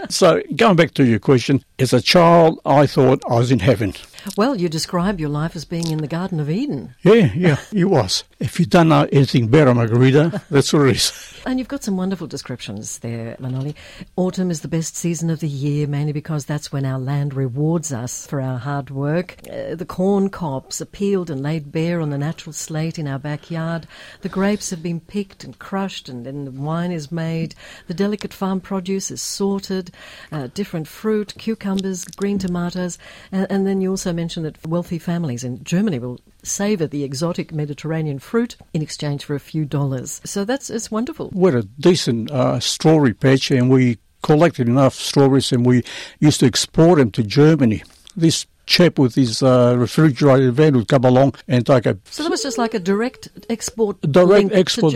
So, going back to your question, as a child, I thought I was in heaven. Well, you describe your life as being in the Garden of Eden. Yeah, it was. If you don't know anything better, Margarita, that's what it is. And you've got some wonderful descriptions there, Manoli. Autumn is the best season of the year, mainly because that's when our land rewards us for our hard work. The corn cobs are peeled and laid bare on the natural slate in our backyard. The grapes have been picked and crushed, and then the wine is made. The delicate farm produce is sorted, different fruit, cucumbers, green tomatoes, and then you also mentioned that wealthy families in Germany will savour the exotic Mediterranean fruit in exchange for a few dollars. So it's wonderful. We're a decent strawberry patch, and we collected enough strawberries and we used to export them to Germany. This chap with his refrigerated van would come along and take a... So that was just like a direct export to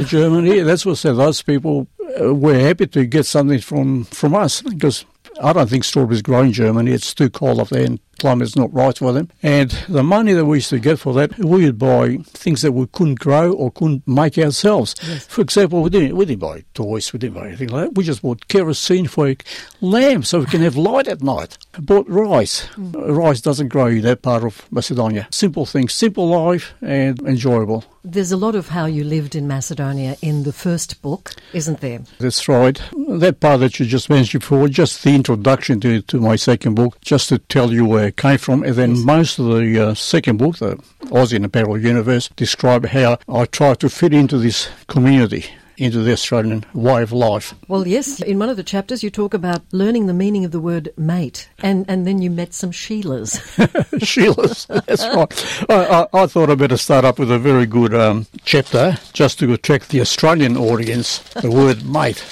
Germany. That's what said those people were happy to get something from us, because I don't think strawberries grow in Germany. It's too cold up there, and climate's not right for them. And the money that we used to get for that, we would buy things that we couldn't grow or couldn't make ourselves. Yes. For example, we didn't buy toys, we didn't buy anything like that. We just bought kerosene for lamps so we can have light at night. I bought rice. Rice doesn't grow in that part of Macedonia. Simple things, simple life and enjoyable. There's a lot of how you lived in Macedonia in the first book, isn't there? That's right. That part that you just mentioned before, just the introduction to my second book, just to tell you where it came from. And then most of the second book, the Aussie and the Parallel Universe, describe how I tried to fit into this community, into the Australian way of life. Well, yes, in one of the chapters you talk about learning the meaning of the word mate, and then you met some Sheilas. Sheilas, that's right. I thought I'd better start up with a very good chapter, just to attract the Australian audience, the word mate.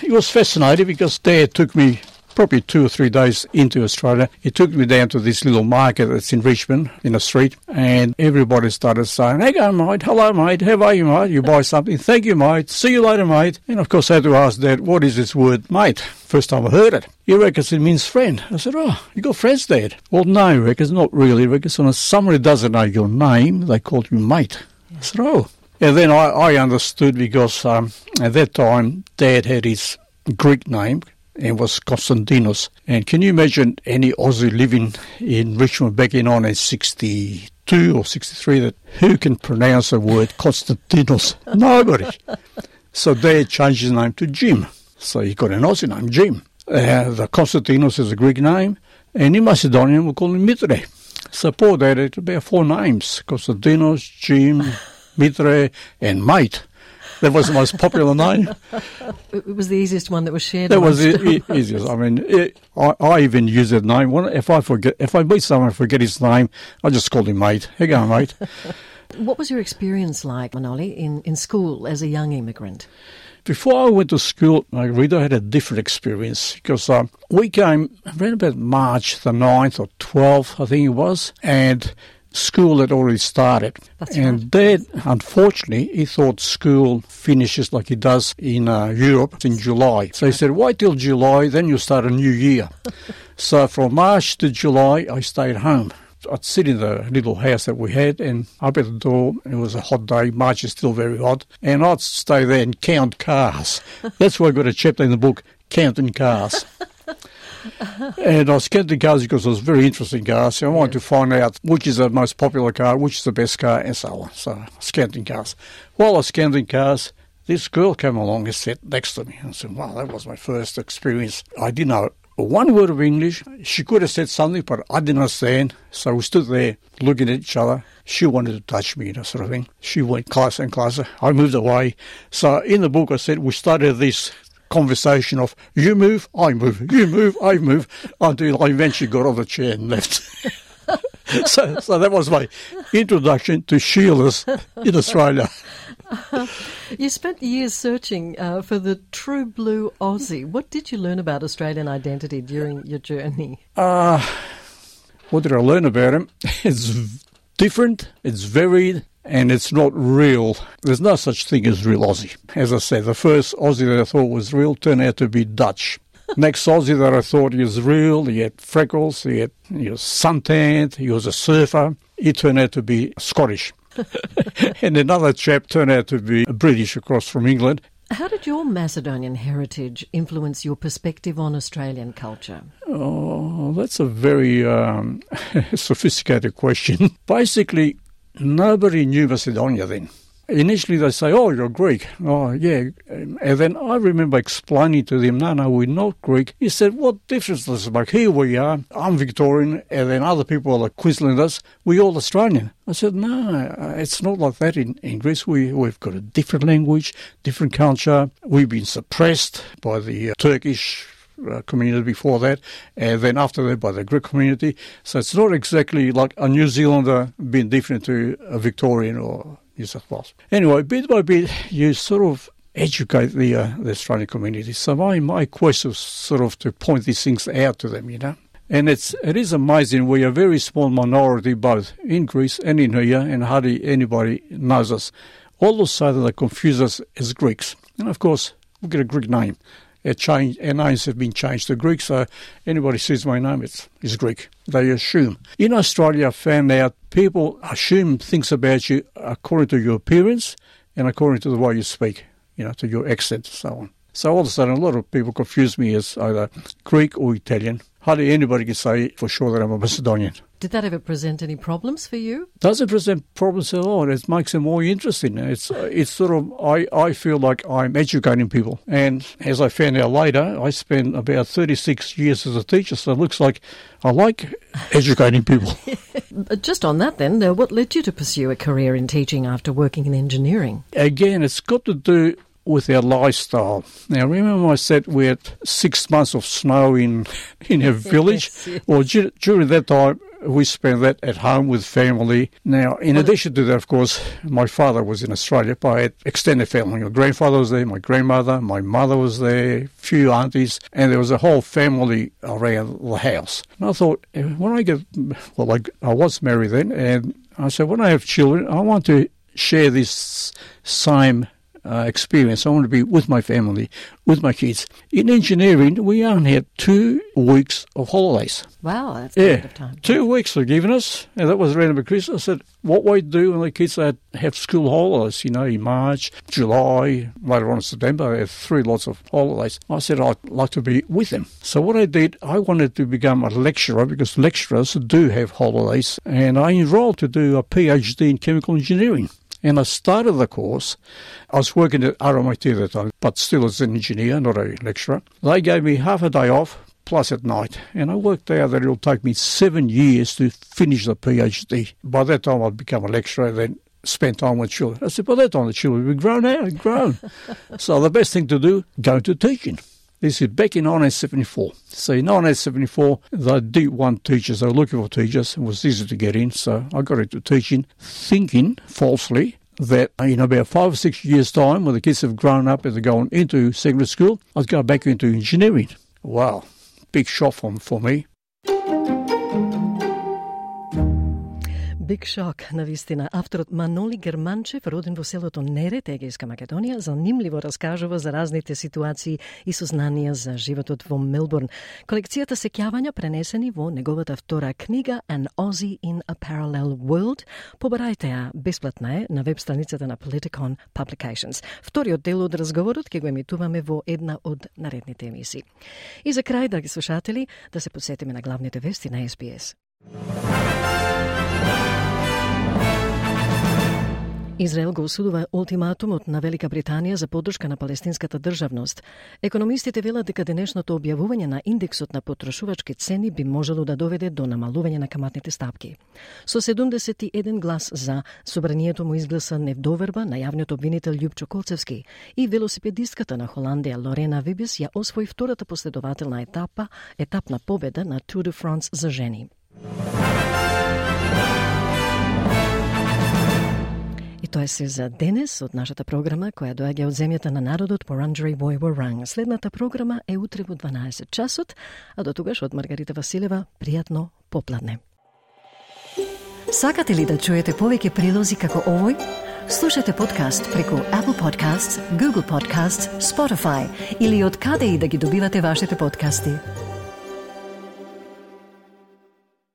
It was fascinating because Dad took me probably 2 or 3 days into Australia. He took me down to this little market that's in Richmond, in a street, and everybody started saying, "Hey, go, mate. Hello, mate. How are you, mate? You buy something? Thank you, mate. See you later, mate." And, of course, I had to ask Dad, what is this word, mate? First time I heard it. He reckons it means friend. I said, "Oh, you got friends, Dad?" "Well, no," he reckons, "not really." He reckons when somebody doesn't know your name, they call you mate. I said, "Oh." And then I understood because at that time, Dad had his Greek name, and was Konstantinos. And can you imagine any Aussie living in Richmond back in 1962 or 63 that who can pronounce the word Konstantinos? Nobody. So Dad changed his name to Jim. So he got an Aussie name, Jim. The Konstantinos is a Greek name, and in Macedonian we call him Mitre. So poor Dad had about 4 names: Konstantinos, Jim, Mitre, and Mate. That was the most popular name. It was the easiest one that was shared. That was the easiest. I mean, I even use that name. If I meet someone and forget his name, I just call him mate. Hey, go, mate. What was your experience like, Manoli, in school as a young immigrant? Before I went to school, Rita, I had a different experience because we came around about March the 9th or 12th, I think it was, and school had already started. That's and right. Dad, unfortunately, he thought school finishes like it does in Europe in July. So he said, wait till July, then you'll start a new year. So from March to July, I stayed home. I'd sit in the little house that we had, and up at the door, it was a hot day. March is still very hot. And I'd stay there and count cars. That's why I got a chapter in the book, Counting Cars. And I was counting cars because it was very interesting cars. So I wanted to find out which is the most popular car, which is the best car, and so on. So I was counting cars. While I was counting cars, this girl came along and sat next to me. I said, wow, that was my first experience. I didn't know one word of English. She could have said something, but I didn't understand. So we stood there looking at each other. She wanted to touch me, that sort of thing. She went closer and closer. I moved away. So in the book I said we started this conversation of you move, I move, you move, I move, until I eventually got off the chair and left. So that was my introduction to Sheilas in Australia. You spent years searching for the true blue Aussie. What did you learn about Australian identity during your journey? What did I learn about him? It's different, it's varied, and it's not real. There's no such thing as real Aussie. As I said, the first Aussie that I thought was real turned out to be Dutch. Next Aussie that I thought was real, he had freckles, he was suntanned, he was a surfer. He turned out to be Scottish. And another chap turned out to be British across from England. How did your Macedonian heritage influence your perspective on Australian culture? Oh, that's a very sophisticated question. Basically, nobody knew Macedonia then. Initially they say, oh, you're Greek. Oh, yeah. And then I remember explaining to them, no, we're not Greek. He said, what difference does it make? Here we are. I'm Victorian, and then other people are Queenslanders. We're all Australian. I said, no, it's not like that in Greece. We've got a different language, different culture. We've been suppressed by the Turkish community before that, and then after that by the Greek community. So it's not exactly like a New Zealander being different to a Victorian or New South Wales. Anyway, bit by bit, you sort of educate the Australian community. So my quest was sort of to point these things out to them, you know. And it is amazing. We are a very small minority both in Greece and in here, and hardly anybody knows us. All of a sudden they confuse us as Greeks. And of course, we get a Greek name. names have been changed to Greek, so anybody sees my name, it's Greek. They assume. In Australia, I found out people assume things about you according to your appearance and according to the way you speak, to your accent and so on. So all of a sudden, a lot of people confuse me as either Greek or Italian. Hardly anybody can say for sure that I'm a Macedonian. Did that ever present any problems for you? Doesn't present problems at all. It makes it more interesting. It's sort of, I feel like I'm educating people. And as I found out later, I spent about 36 years as a teacher, so it looks like I like educating people. But just on that then, what led you to pursue a career in teaching after working in engineering? Again, it's got to do with our lifestyle. Now, remember I said we had 6 months of snow in our village? Yes. Well, during that time, we spent that at home with family. Now, in addition to that, of course, my father was in Australia, but I had extended family. My grandfather was there, my grandmother, my mother was there, a few aunties, and there was a whole family around the house. And I thought, when I was married then, and I said, when I have children, I want to share this same experience. I want to be with my family, with my kids. In engineering, we only had 2 weeks of holidays. Wow, that's a lot of time. 2 weeks were given us, and that was around about Christmas. I said, what we do when the kids have school holidays, in March, July, later on in September, they had 3 lots of holidays. I said, I'd like to be with them. So what I did, I wanted to become a lecturer, because lecturers do have holidays, and I enrolled to do a PhD in chemical engineering. And I started the course. I was working at RMIT at the time, but still as an engineer, not a lecturer. They gave me half a day off, plus at night. And I worked out that it'll take me 7 years to finish the PhD. By that time, I'd become a lecturer, then spend time with children. I said, by that time, the children would be grown out, So the best thing to do, go to teaching. This is back in 1974. So in 1974, they did want teachers. They were looking for teachers. It was easy to get in. So I got into teaching, thinking falsely that in about 5 or 6 years' time, when the kids have grown up and they're going into secondary school, I'd go back into engineering. Wow, big shock for me. Big shock, навистина. Авторот Маноли Германчев, роден во селото Нерет, Егејска Македонија, занимливо раскажува за разните ситуации и сознанија за животот во Мелбурн. Колекцијата сеќавања пренесени во неговата втора книга An Aussie in a Parallel World. Побарајте ја, бесплатна е, на веб страницата на Politicon Publications. Вториот дел од разговорот ќе го емитуваме во една од наредните емисии. И за крај, драги слушатели, да се подсетиме на главните вести на SBS. Израел го осудува ултиматумот на Велика Британија за поддршка на палестинската државност. Економистите велат дека денешното објавување на индексот на потрошувачки цени би можело да доведе до намалување на каматните стапки. Со 71 глас за, собранието му изгласа недоверба на јавниот обвинител Љупчо Коцевски и велосипедистката на Холандија Лорена Вибис ја освои втората последователна етапна победа на Tour de France за жени. И тоа е се за денес од нашата програма која доаѓа од земјата на народот по Wurundjeri Woi Wurrung. Следната програма е утре во 12 часот, а до тогаш од Маргарита Василева пријатно попладне. Сакате ли да чуете повеќе прилози како овој? Слушате подкаст преку Apple Podcasts, Google Podcasts, Spotify или од каде и да ги добивате вашите подкасти.